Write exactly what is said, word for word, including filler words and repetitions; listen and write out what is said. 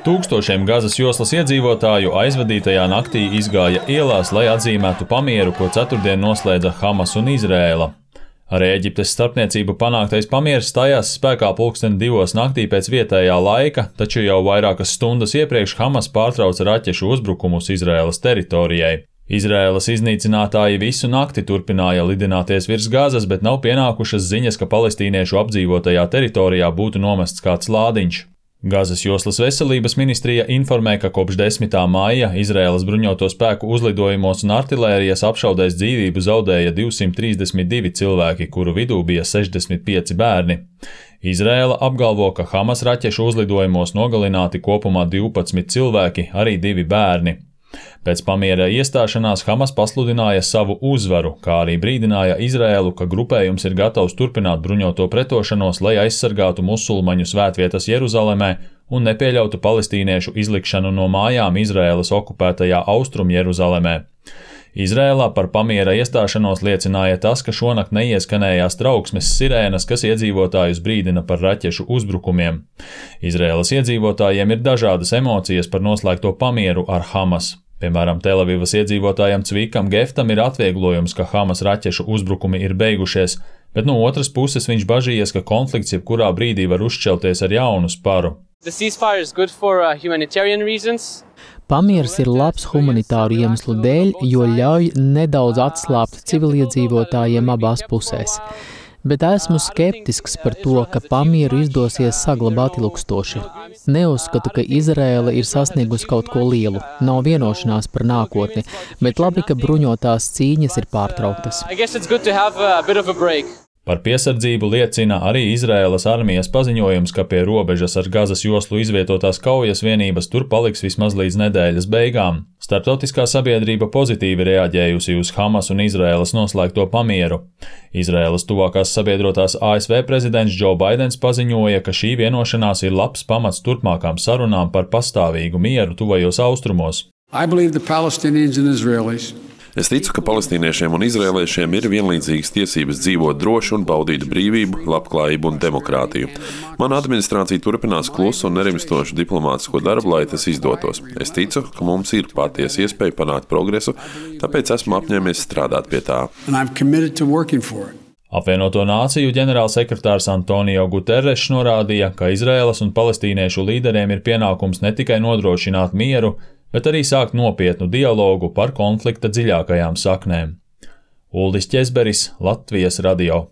Tūkstošiem Gazas joslas iedzīvotāju aizvadītajā naktī izgāja ielās, lai atzīmētu pamieru, ko ceturtdien noslēdza Hamas un Izraēla. Ar Ēģiptes starpniecību panāktais pamieris stājās spēkā pulksten divos naktī pēc vietējā laika, taču jau vairākas stundas iepriekš Hamas pārtrauca raķešu uzbrukumus Izraēlas teritorijai. Izraēlas iznīcinātāji visu nakti turpināja lidināties virs Gazas, bet nav pienākušas ziņas, ka palestīniešu apdzīvotajā teritorijā būtu nomests kāds lādiņš. Gazas joslas veselības ministrija informē, ka kopš desmitā maija Izraēlas bruņoto spēku uzlidojumos un artilērijas apšaudēs dzīvību zaudēja divsimt trīsdesmit divi cilvēki, kuru vidū bija sešdesmit pieci bērni. Izraēla apgalvo, ka Hamas raķešu uzlidojumos nogalināti kopumā divpadsmit cilvēki, arī divi bērni. Pēc pamiera iestāšanās Hamas pasludināja savu uzvaru, kā arī brīdināja Izraēlu, ka grupējums ir gatavs turpināt bruņoto pretošanos, lai aizsargātu musulmaņu svētvietas Jeruzalemē un nepieļautu palestīniešu izlikšanu no mājām Izraēlas okupētajā Austrum Jeruzalemē. Izrēlā par pamiera iestāšanos liecināja tas, ka šonakt neieskanējās trauksmes sirēnas, kas iedzīvotājus brīdina par raķešu uzbrukumiem. Izrēlas iedzīvotājiem ir dažādas emocijas par noslēgto pamieru ar Hamas. Piemēram, Telavivas iedzīvotājam Cvikam Geftam ir atvieglojums, ka Hamas raķešu uzbrukumi ir beigušies, bet no otras puses viņš bažījies, ka konflikts jebkurā brīdī var uzšķelties ar jaunu sparu. For, uh, Pamieris ir labs humanitāru iemeslu dēļ, jo ļauj nedaudz atslābt civiliedzīvotājiem abās pusēs. Bet esmu skeptisks par to, ka pamieru izdosies saglabāt ilgstoši. Neuzskatu, ka Izraēla ir sasniegusi kaut ko lielu, nav vienošanās par nākotni, bet labi, ka bruņotās cīņas ir pārtrauktas. Par piesardzību liecina arī Izraēlas armijas paziņojums, ka pie robežas ar Gazas joslu izvietotās kaujas vienības tur paliks vismaz līdz nedēļas beigām. Starptautiskā sabiedrība pozitīvi reaģējusi uz Hamas un Izraēlas noslēgto pamieru. Izraēlas tuvākās sabiedrotās A S V prezidents Joe Baidens paziņoja, ka šī vienošanās ir labs pamats turpmākām sarunām par pastāvīgu mieru tuvajos austrumos. Es ticu, ka palestīniešiem un izrēliešiem ir vienlīdzīgas tiesības dzīvot droši un baudīt brīvību, labklājību un demokrātiju. Mana administrācija turpinās klusu un nerimstošu diplomātisko darbu, lai tas izdotos. Es ticu, ka mums ir patiesa iespēja panākt progresu, tāpēc esmu apņēmies strādāt pie tā. Apvienoto Nāciju ģenerālsekretārs Antonio Guterres norādīja, ka Izraēlas un palestīniešu līderiem ir pienākums ne tikai nodrošināt mieru, bet arī sākt nopietnu dialogu par konflikta dziļākajām saknēm. Uldis Ķezberis, Latvijas radio.